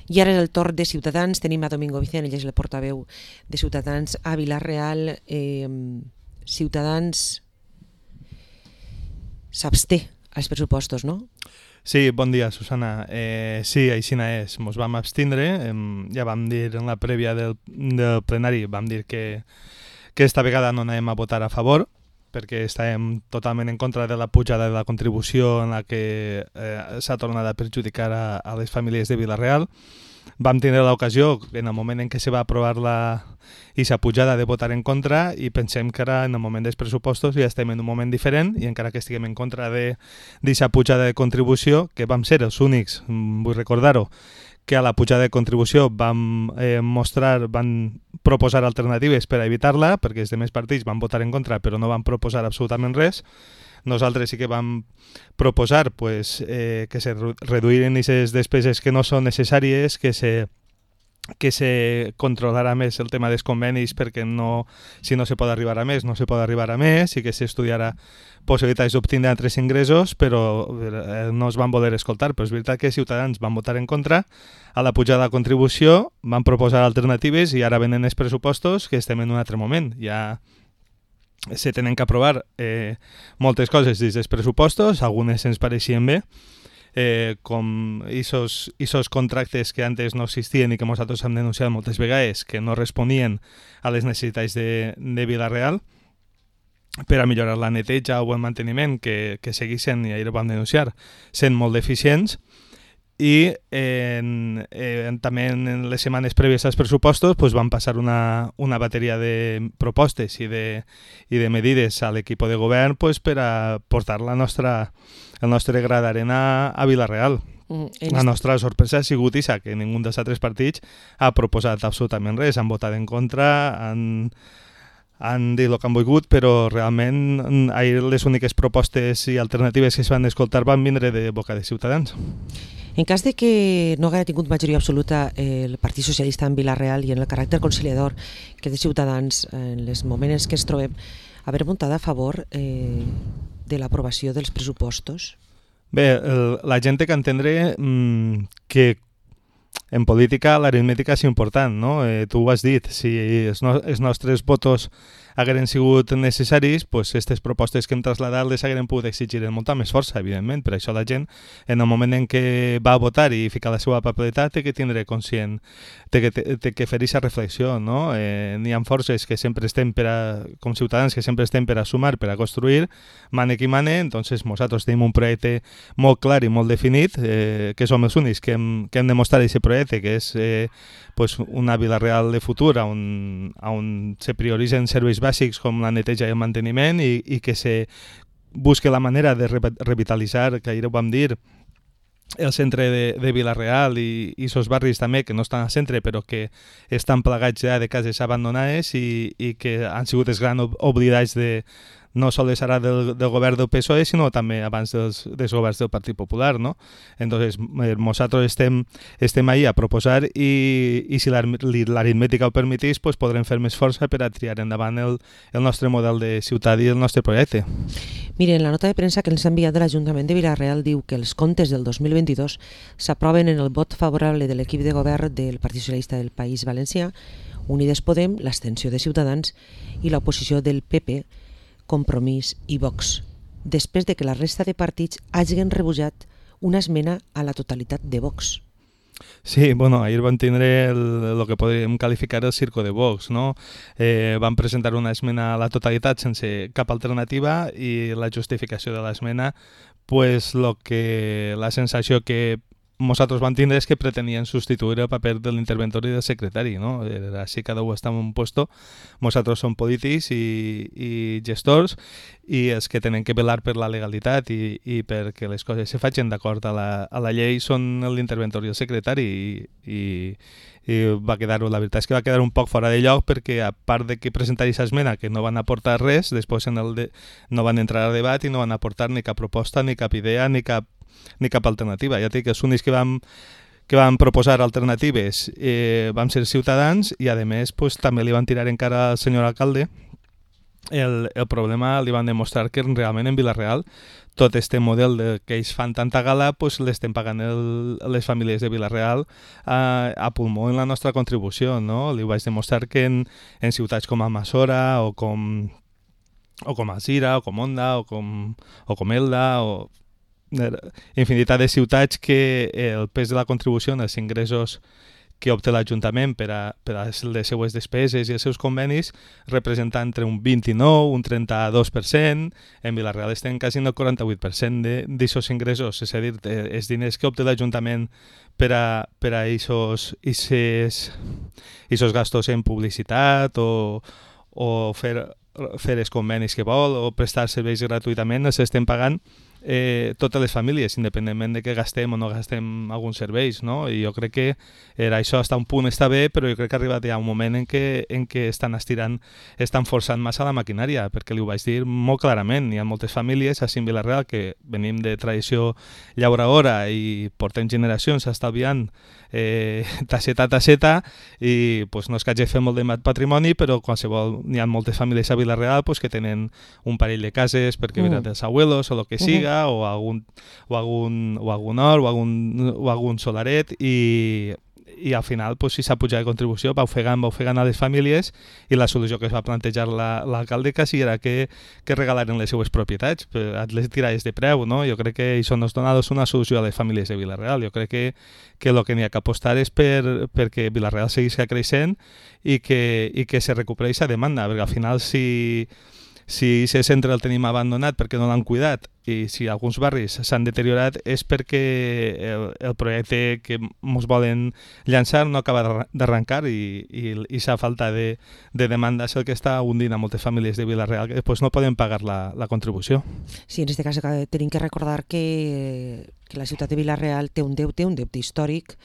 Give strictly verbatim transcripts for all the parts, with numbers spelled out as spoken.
I ara és el torn de Ciutadans. Tenim a Domingo Vicent, ell és el portaveu de Ciutadans a Vila-real. Eh, Ciutadans s'absté als pressupostos, no? Sí, bon dia, Susana. Eh, sí, així és. Ens vam abstindre. Eh, ja vam dir en la prèvia del, del plenari, vam dir que, que esta vegada no anem a votar a favor, perquè estàvem totalment en contra de la pujada de la contribució en la que eh, s'ha tornat a perjudicar a, a les famílies de Vila-real. Vam tenir l'ocasió, en el moment en què se va aprovar la aquesta pujada, de votar en contra, i pensem que ara, en el moment dels pressupostos, ja estem en un moment diferent, i encara que estiguem en contra d'aquesta pujada de contribució, que vam ser els únics, vull recordar-ho, que a la pujada de contribució vam eh, mostrar, van proposar alternatives per a evitar-la, perquè els demés partits van votar en contra, però no van proposar absolutament res. Nosaltres sí que vam proposar pues, eh, que se reduïren aquestes despeses que no són necessàries, que se, que se controlarà més el tema dels convenis, perquè no, si no se pot arribar a més, no se pot arribar a més, i que s'estudiarà possibilitats d'obtindre altres ingressos, però eh, no es van voler escoltar. Però és veritat que Ciutadans van votar en contra a la pujada de contribució, van proposar alternatives, i ara venen els pressupostos, que estem en un altre moment. Ja se tenen que aprovar eh, moltes coses dins dels pressupostos, algunes ens pareixien bé, eh, com aquests contractes que antes no existien i que nosaltres hem denunciat moltes vegades, que no responien a les necessitats de, de Vila-real, per a millorar la neteja o el manteniment, que, que seguissin, i ahir ho vam denunciar, sent molt deficients. I en, eh, també en les setmanes prèvies als pressupostos pues, van passar una, una bateria de propostes i de, i de medides a l'equip de govern pues, per a portar la nostra, el nostre gra d'arena a Vila-real. Mm, la nostra sorpresa ha sigut isa, que ningú dels altres partits ha proposat absolutament res, han votat en contra, han, han dit el que han volgut, però realment ahir les úniques propostes i alternatives que es van escoltar van vindre de boca de Ciutadans. En cas de que no haguera tingut majoria absoluta el Partit Socialista en Vila-real i en el caràcter conciliador que de Ciutadans en els moments que ens trobem, haver votat a favor eh, de l'aprovació dels pressupostos? Bé, el, la gent té que entendre mmm, que en política l'aritmètica és important, no? Eh, tu ho has dit, si els, no, els nostres votos hagueren sigut necessaris, pues aquestes propostes que hem traslladat les hagueren pogut exigir amb molta més força, evidentment. Per això la gent, en el moment en què va a votar i ficar la seva papeleta, té que tindre conscient, té que, té, té que fer aquesta reflexió, no? Eh, n'hi ha forces que sempre estem per a, com ciutadans, que sempre estem per a sumar, per a construir, mane qui mane, entonces nosaltres tenim un projecte molt clar i molt definit, eh, que som els únics que hem, que hem demostrat aquest projecte, que és eh, pues una Vila-real de futur, on, on se prioritzen serveis bàsics com la neteja i el manteniment, i, i que se busque la manera de revitalitzar, que ahir ho vam dir, el centre de, de Vila-real i aquests barris també que no estan al centre però que estan plagats ja de cases abandonades i, i que han sigut els grans oblidats de, no sols ara del, del govern del P S O E, sinó també abans dels, dels governs del Partit Popular, no? Entonces, nosaltres estem, estem ahí a proposar i, i si l'aritmètica ho permetís, pues podrem fer més força per a triar endavant el, el nostre model de ciutat i el nostre projecte. Miren, la nota de premsa que ens ha enviat de l'Ajuntament de Vila-real diu que els comptes del dos mil vint-i-dos s'aproven en el vot favorable de l'equip de govern del Partit Socialista del País Valencià, Unides Podem, l'abstenció de Ciutadans i l'oposició del P P, Compromís i Vox, després de que la resta de partits hagin rebutjat una esmena a la totalitat de Vox. Sí, bueno, ahir van tindre el, el que podríem qualificar el circo de Vox, no? Eh, van presentar una esmena a la totalitat sense cap alternativa i la justificació de l'esmena, pues lo que la sensació que nosaltres vam tindre és que pretenien substituir el paper de l'interventor i del secretari, no? Era així, cada un està en un puesto. Nosaltres som polítics i, i gestors i els que tenen que velar per la legalitat i, i perquè les coses se facin d'acord a, la, a la llei són l'interventor i el secretari i, i, i va quedar, la veritat és que va quedar un poc fora de lloc perquè a part de que presentar aquesta esmena que no van aportar res, després en el de, no van entrar a debat i no van aportar ni cap proposta, ni cap idea, ni cap ni cap alternativa. Ja dic que els únics que vam, que vam proposar alternatives eh, vam ser Ciutadans i a més pues, també li van tirar encara al senyor alcalde el, el problema li van demostrar que realment en Vila-real tot este model de, que ells fan tanta gala pues, l'estem pagant el, les famílies de Vila-real a, a pulmó en la nostra contribució, no? Li vaig demostrar que en, en ciutats com Almassora o com, o com Alzira o com Onda o com, o com Elda o infinitat de ciutats que el pes de la contribució en els ingressos que obté l'Ajuntament per a, per a les seues despeses i els seus convenis representa entre un vint-i-nou, un trenta-dos per cent, en Vila-real estem quasi en el quaranta-vuit per cent d'aquests ingressos, és a dir, els diners que obté l'Ajuntament per a per a aquests gastos en publicitat o, o fer, fer els convenis que vol o prestar serveis gratuïtament, els estem pagant Eh, totes les famílies, independentment de que gastem o no gastem alguns serveis, no? I jo crec que era això hasta un punt està bé, però jo crec que ha arribat ja un moment en què, en què estan estirant, estan forçant massa la maquinària, perquè li ho vaig dir molt clarament. Hi ha moltes famílies a Vilareal que venim de tradició llauradora i portem generacions estalviant eh, tasseta a tasseta i pues, no és que hagi fet molt de patrimoni, però qualsevol, hi ha moltes famílies a Vila-real pues, que tenen un parell de cases perquè mm. venen dels abuelos o el que siga, uh -huh. o, algun, o, algun, o algun hort o algun, o algun solaret i i al final pues, si s'ha pujat de contribució va ofegant, va ofegant a les famílies i la solució que es va plantejar l'alcalde la, quasi era que, que regalaren les seues propietats, les tirades de preu, no? Jo crec que això no és donar una solució a les famílies de Vila-real. Jo crec que, que el que n'hi ha que apostar és per, perquè Vila-real segueixi creixent i que, i que se recuperi aquesta demanda, perquè al final si... Si aquest centre el tenim abandonat perquè no l'han cuidat i si alguns barris s'han deteriorat és perquè el, el projecte que ens volen llançar no acaba d'arrencar i, i, i sa falta de, de demanda és el que està hundint a moltes famílies de Vila-real que després no poden pagar la, la contribució. Sí, en aquest cas tenim que recordar que, que la ciutat de Vila-real té un deute, un deute històric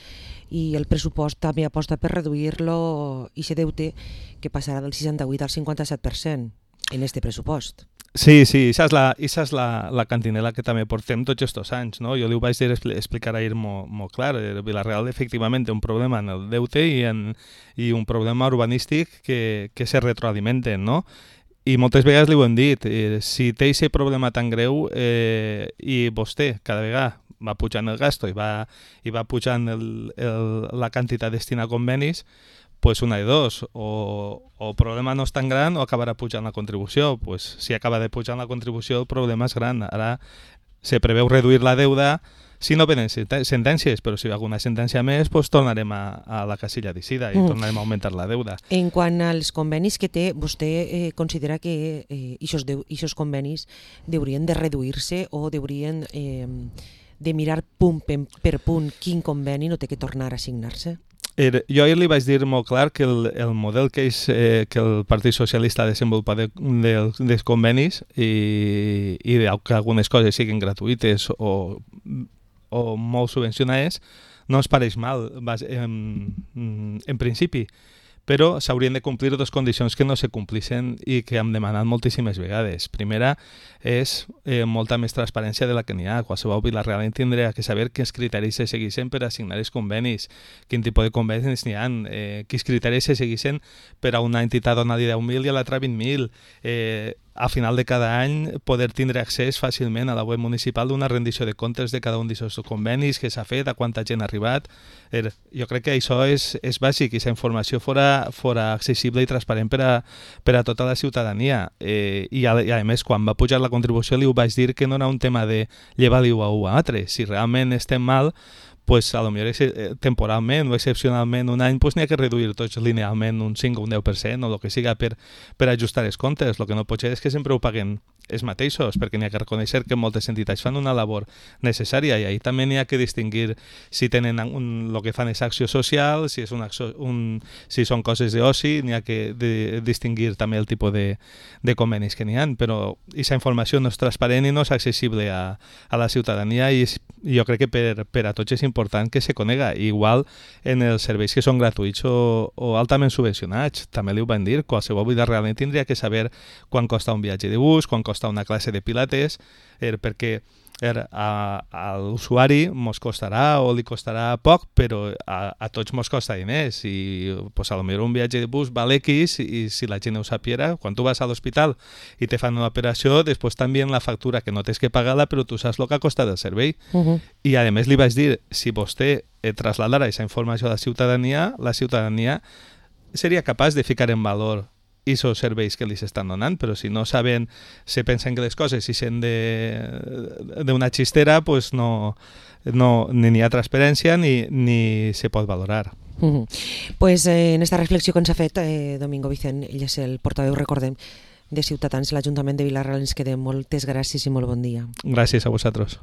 i el pressupost també aposta per reduir-lo i aquest deute que passarà del seixanta-vuit al cinquanta-set per cent. En este pressupost. Sí, sí, això és la, això és la, la cantinela que també portem tots aquests anys, no? Jo li ho vaig dir, explicar ahir molt, molt clar. Vila-real efectivament té un problema en el deute i, en, i un problema urbanístic que, que se retroalimenten, no? I moltes vegades li ho hem dit, eh, si té aquest problema tan greu eh, i vostè cada vegada va pujant el gasto i va, i va pujant el, el, la quantitat destinada a convenis, pues una de dos, o, o el problema no és tan gran o acabarà pujant la contribució. Pues si acaba de pujar la contribució el problema és gran. Ara se preveu reduir la deuda si no venen sentències, però si hi ha alguna sentència més pues tornarem a, a la casilla d'Icida i mm. tornarem a augmentar la deuda. En quant als convenis que té, vostè eh, considera que aquests convenis deurien de reduir-se o deurien eh, de mirar punt per punt quin conveni no té que tornar a signar-se? Er, jo ahir li vaig dir molt clar que el, el model que, és, eh, que el Partit Socialista ha desenvolupat de, de, dels convenis i, i de, que algunes coses siguin gratuïtes o, o molt subvencionades no ens pareix mal en, en principi, però s'haurien de complir dues condicions que no se complissin i que hem demanat moltíssimes vegades. Primera és eh, molta més transparència de la que n'hi ha. Qualsevol Vila-real tindrà que saber quins criteris se segueixen per assignar els convenis, quin tipus de convenis n'hi ha, eh, quins criteris se segueixen per a una entitat donar-li deu mil i a l'altra vint mil. Eh, a final de cada any poder tindre accés fàcilment a la web municipal d'una rendició de comptes de cada un d'aquests convenis que s'ha fet, a quanta gent ha arribat. Er, jo crec que això és, és bàsic i aquesta informació fora, fora accessible i transparent per a, per a tota la ciutadania. Eh, i, a, I a més, quan va pujar la contribució li ho vaig dir que no era un tema de llevar-li-ho a un a altre. Si realment estem mal, pues a lo millor temporalment o excepcionalment un any pues n'hi ha que reduir tots linealment un cinc o un deu per cent o el que siga per, per ajustar els comptes. El que no pot ser és que sempre ho paguen els mateixos, perquè n'hi ha que reconèixer que moltes entitats fan una labor necessària i ahí també n'hi ha que distingir si tenen un, el que fan és acció social, si, és una, un, si són coses d'oci, n'hi ha que de, distingir també el tipus de, de convenis que n'hi ha, però aquesta informació no és transparent i no és accessible a, a la ciutadania i jo crec que per, per a tots és important que se conega. Igual en els serveis que són gratuïts o, o altament subvencionats, també li ho van dir, qualsevol vida realment tindria que saber quan costa un viatge de bus, quan costa una classe de pilates, eh, perquè Er, a, a l'usuari mos costarà o li costarà poc, però a, a tots mos costa diners i pues, a lo millor un viatge de bus val X i si la gent ho sapiera, quan tu vas a l'hospital i te fan una operació, després t'envien la factura que no tens que pagar-la, però tu saps el que ha costat el servei. Uh-huh. I a més li vaig dir, si vostè eh, trasladara aquesta informació a la ciutadania, la ciutadania seria capaç de ficar en valor aquests serveis que li s'estan donant, però si no saben, se pensen que les coses si són d'una xistera, pues no, no, ni hi ha transparència ni, ni se pot valorar. Uh-huh. Pues eh, en esta reflexió que ens ha fet eh, Domingo Vicent, ell és el portaveu, recordem, de Ciutadans, l'Ajuntament de Vila-real, ens quedem. Moltes gràcies i molt bon dia. Gràcies a vosaltres.